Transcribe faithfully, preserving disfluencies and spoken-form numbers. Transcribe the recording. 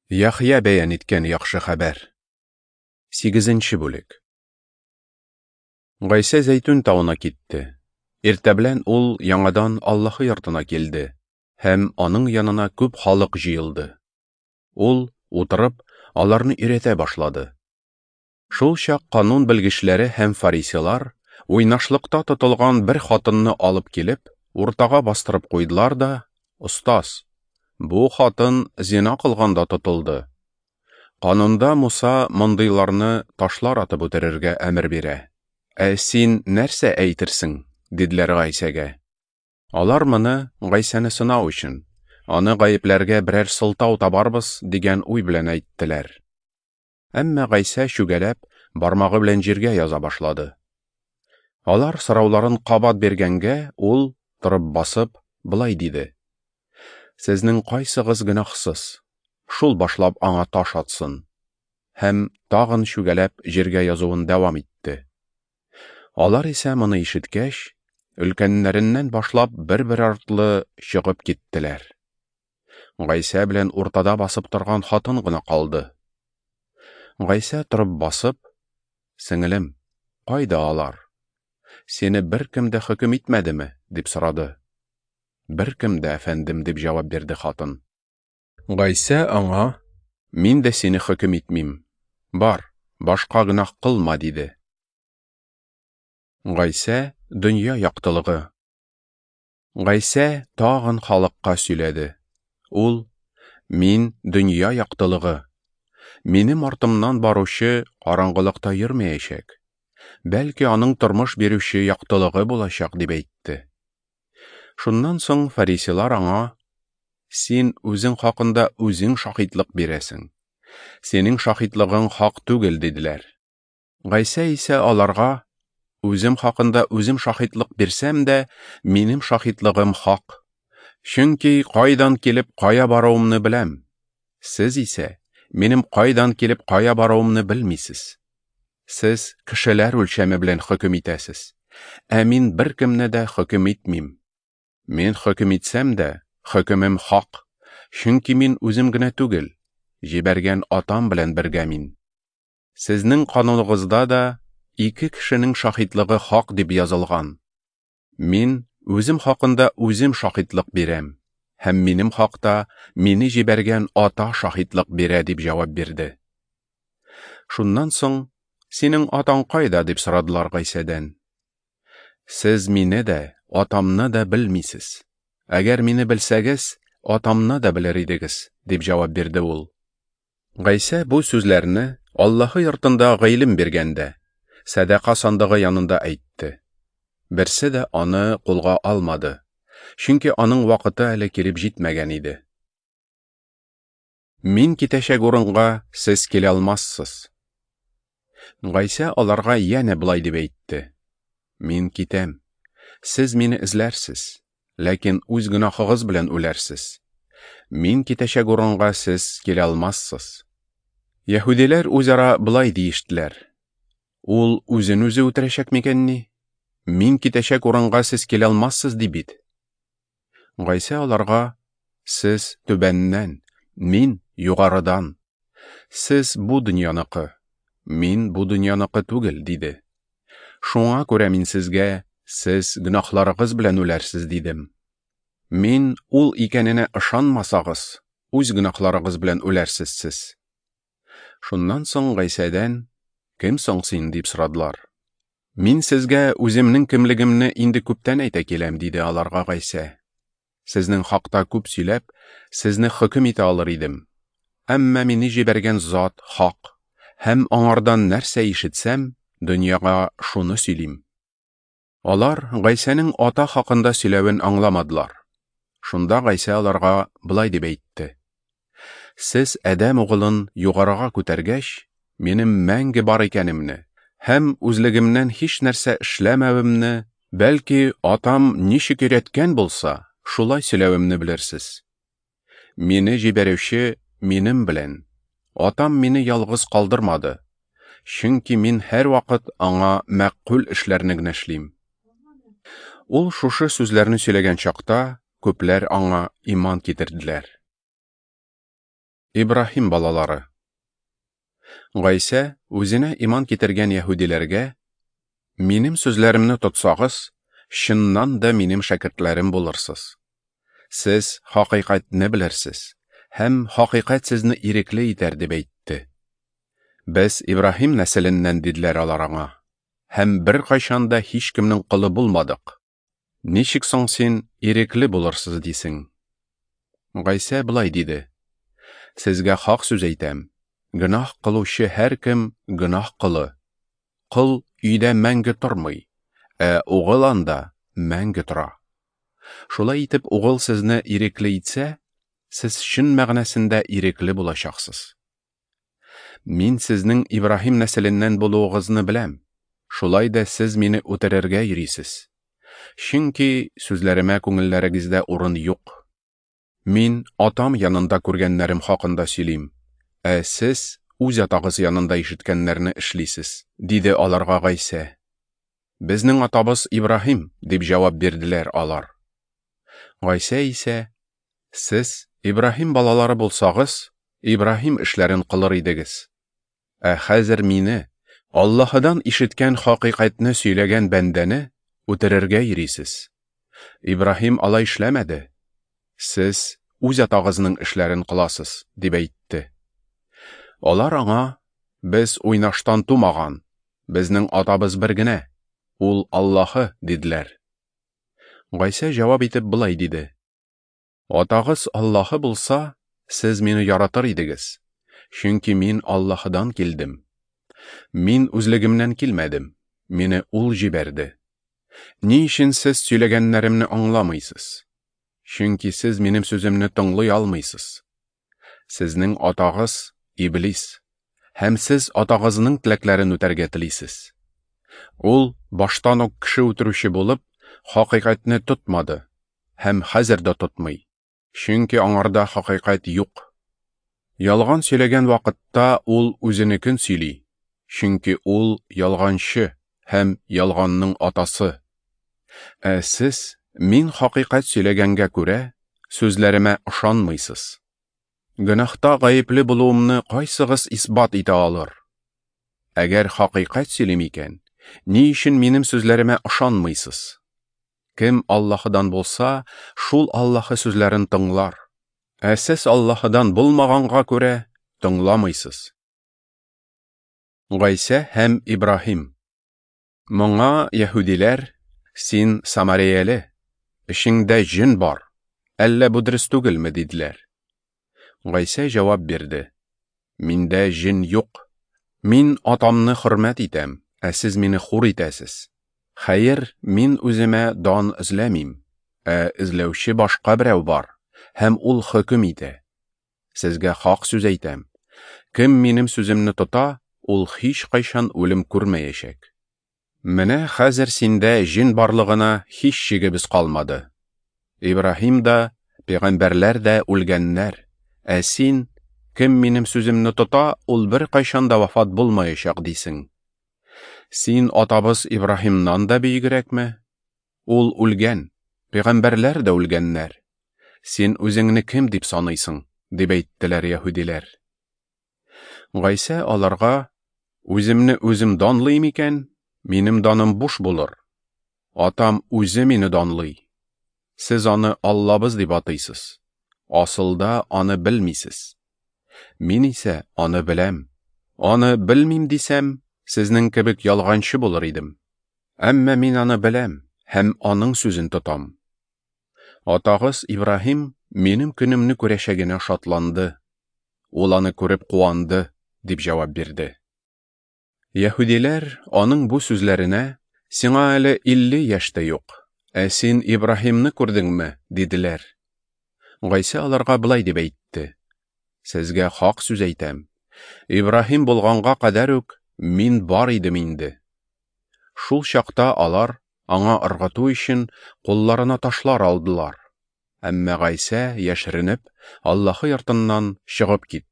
Яхъя бәян иткән яхшы хәбәр. Сигезенче бүлек. Гайсә Зәйтүн тавына китте. Иртә белән ул яңадан Аллаһы йортына килде, һәм аның янына күп халык җыелды. Ул, утырып, аларны өйрәтә башлады. Шул чак канун белгечләре һәм фарисейлар уйнашлыкта тотылган бер хатынны алып килеп, уртага бастырып куйдылар да: "Остаз, бу хатын зина кылганда тотылды. Канунда Муса мондыйларны ташлар атып үтерергә әмер бирә. Ә син нәрсә әйтерсең?" диделәр Гайсәгә. Алар моны Гайсәне сынау өчен, аны гаепләргә берәр сылтау табарбыз дигән уй белән әйттеләр. Әмма Гайсә чүгәләп, бармагы белән җиргә яза башлады. Алар сорауларын кабат биргәнгә, ул, торып басып, болай диде: "Сезнең кайсыгыз гөнаһсыз, шул башлап аңа таш атсын." Һәм тагын чүгәләп җиргә язуын дәвам итте. Алар исә моны ишеткәч, өлкәннәреннән башлап бер-бер артлы чыгып киттеләр. Гайсә белән уртада басып торган хатын гына калды. Гайсә торып басып: "Сеңелем, кайда алар? Сине беркем дә хөкем итмәдеме?" дип сорады. "Беркем дә, әфәндем", дип җавап бирде хатын. Гайсә аңа: "Мин дә сине хөкем итмим. Бар, башка гөнаһ кылма", диде. Гайсә дөнья яктылыгы. Гайсә тагын халыкка сөйләде. Ул: "Мин дөнья яктылыгы. Минем артымнан баручы караңгылыкта йөрмәячәк, бәлки аның тормыш бирүче яктылыгы булачак", дип әйтте. Шуннан соң фарисейлар аңа: "Син үзең хакында үзең шаһитлык бирәсең. Синең шаһитлыгың хак түгел", диделәр. Гайсә исә аларга: "Үзем хакында үзем шаһитлык бирсәм дә, минем шаһитлыгым хак. Чөнки кайдан килеп кая баруымны беләм. Сез исә минем кайдан килеп кая баруымны белмисез. Сез кешеләр үлчәме белән хөкем итәсез, ә мин беркемне дә хөкем итмим. Мин хөкем итсәм дә, хөкемем хак, чөнки мин үзем генә түгел, җибәргән Атам белән бергә мин. Сезнең кануныгызда да ике кешенең шаһитлыгы хак дип язылган. Мин үзем хакында үзем шаһитлык бирәм, һәм минем хакта мине җибәргән Ата шаһитлык бирә", дип җавап бирде. Шуннан соң: "Синең атаң кайда?" дип сорадылар Гайсәдән. "Сез мине дә, Атамны да белмисез. Әгәр мине белсәгез, Атамны да белер идегез", дип җавап бирде ул. Гайсә бу сүзләрне Аллаһы йортында гыйлем биргәндә, сәдака сандыгы янында әйтте. Берсе дә аны кулга алмады, чөнки аның вакыты әле килеп җитмәгән иде. Мин китәчәк урынга сез килә алмассыз. Гайсә аларга янә болай дип әйтте: "Мин китәм. Сез мине эзләрсез, ләкин үз гөнаһыгыз белән үләрсез. Мин китәчәк урынга сез килә алмассыз." Яһүдиләр үзара болай диештеләр: "Ул үзен үзе үтерәчәк микәнни? Мин китәчәк урынга сез килә алмассыз ди бит." Гайсә аларга: "Сез түбәннән, мин югарыдан. Сез бу дөньяныкы, мин бу дөньяныкы түгел", диде. "Шуңа күрә мин сезгә: сез гөнаһларыгыз белән үләрсез, дидем. Мин ул икәненә ышанмасагыз, үз гөнаһларыгыз белән үләрсез сез." Шуннан соң Гайсәдән: "Кем соң син?" дип сорадылар. "Мин сезгә үземнең кемлегемне инде күптән әйтә киләм", диде аларга Гайсә. "Сезнең хакта күп сөйләп, сезне хөкем итә алыр идем. Әмма мине җибәргән зат хак, һәм аңардан нәрсә ишетсәм, дөньяга шуны сөйлим." Алар Гайсәнең Ата хакында сөйләвен аңламадылар. Шунда Гайсә аларга болай дип әйтте: "Сез Адәм угылын югарыга күтәргәч, минем мәңге бар икәнемне һәм үзлегемнән һич нәрсә эшләмәвемне, бәлки Атам ничек өйрәткән булса, шулай сөйләвемне белерсез. Мине җибәрүче минем белән. Атам мине ялгыз калдырмады, чөнки мин һәрвакыт аңа мәкъбул эшләрне генә эшлим." Ул шушы сүзләрне сөйләгән чакта күпләр аңа иман китерделәр. Ибраһим балалары. Гайсә үзенә иман китергән яһүдиләргә: "Минем сүзләремне тотсагыз, чыннан да минем шәкертләрем булырсыз. Сез хакыйкатьне белерсез, һәм хакыйкать сезне ирекле итәр", дип әйтте. "Без Ибраһим нәселеннән", диделәр алар аңа, "һәм беркайчан да һичкемнең колы булмадык. Ничек соң син ирекле булырсыз дисең?" Гайсә болай диде: "Сезгә хак сүз әйтәм, гөнаһ кылучы һәркем гөнаһ колы. Кол өйдә мәңге тормый, ә угыл анда мәңге тора. Шулай итеп, угыл сезне ирекле итсә, сез чын мәгънәсендә ирекле булачаксыз. Мин сезнең Ибраһим нәселеннән булуыгызны беләм, шулай да сез мине үтерергә йөрисез. Чөнки сүзләремә күңелләрегездә урын юк. Мин атам янында күргәннәрем хакында сөйлим, ә сез үз атагыз янында ишеткәннәрне эшлисез", диде аларга Гайсә. "Безнең атабыз Ибраһим", дип җавап бирделәр алар. Гайсә исә: "Сез Ибраһим балалары булсагыз, Ибраһим эшләрен кылыр идегез. Ә хәзер мине, Аллаһыдан ишеткән хакыйкатьне сөйләгән бәндәне, үтерергә йөрисез. Ибраһим алай эшләмәде. Сез үз атагызның эшләрен кыласыз", дип әйтте. Алар аңа: "Без уйнаштан тумаган, безнең атабыз бер генә, ул Аллаһы", диделәр. Гайсә җавап итеп болай диде: "Атагыз Аллаһы булса, сез мине яратыр идегез, чөнки мин Аллаһыдан килдем. Мин үзлегемнән килмәдем, мине Ул җибәрде. Ни өчен сез сөйләгәннәремне аңламыйсыз? Чөнки сез минем сүземне тыңлый алмыйсыз. Сезнең атагыз Иблис, һәм сез атагызның теләкләрен үтәргә телисез. Ул баштан ук кеше үтерүче булып, хакыйкатьне тотмады һәм хәзер дә тотмый, чөнки аңарда хакыйкать юк. Ялган сөйләгән вакытта ул үзенекен сөйли, чөнки ул ялганчы һәм ялганның атасы. Ә сез, мин хакыйкать сөйләгәнгә күрә, сүзләремә ышанмыйсыз. Гөнаһта гаепле булуымны кайсыгыз исбат итә алыр? Әгәр хакыйкать сөйлим икән, ни өчен минем сүзләремә ышанмыйсыз? Кем Аллаһыдан булса, шул Аллаһы сүзләрен тыңлар. Ә сез Аллаһыдан булмаганга күрә тыңламыйсыз." Гайсә һәм Ибраһим. Моңа яһүдиләр: "Син самарияле, эчеңдә җен бар, әллә бу дөрес түгелме?" диделәр. Гайсә җавап бирде: "Миндә җен юк. Мин атамны хөрмәт итәм, ә сез мине хур итәсез. Хәер, мин үземә дан эзләмим, ә эзләүче башка берәү бар, һәм ул хөкем итә. Сезгә хак сүз әйтәм: кем минем сүземне тота, ул һич кайчан үлем күрмәячәк. Менә хәзер синдә җен барлыгына һич шигебез калмады. Ибраһим да, пәйгамбәрләр дә үлгәннәр, ә син, кем минем сүземне тота, ул беркайчан да вафат булмаячак дисең. Син атабыз Ибраһимнан да бөегрәкме? Ул үлгән, пәйгамбәрләр дә үлгәннәр. Син үзеңне кем дип саныйсың?" дип әйттеләр яһүдиләр. Гайсә аларга: "Үземне үзем данлыйм икән, минем даным буш булыр. Атам үзе мине данлый. Сез аны Аллабыз дип атыйсыз. Асылда аны белмисез. Мин исә аны беләм. Аны белмим дисәм, сезнең кебек ялганчы булыр идем. Әмма мин аны беләм һәм аның сүзен тотам. Атагыз Ибраһим минем көнемне күрәчәгенә шатланды. Ул аны күреп куанды", дип җавап бирде. Яһүдиләр аның бу сүзләренә: "Сиңа әле илле яшь тә юк, ә син Ибраһимны күрдеңме?" диделәр. Гайсә аларга болай дип әйтте: "Сезгә хак сүз әйтәм, Ибраһим булганга кадәр үк мин бар идем инде." Шул чакта алар аңа ыргыту өчен кулларына ташлар алдылар. Әмма Гайсә, яшеренеп, Аллаһы йортыннан чыгып китте.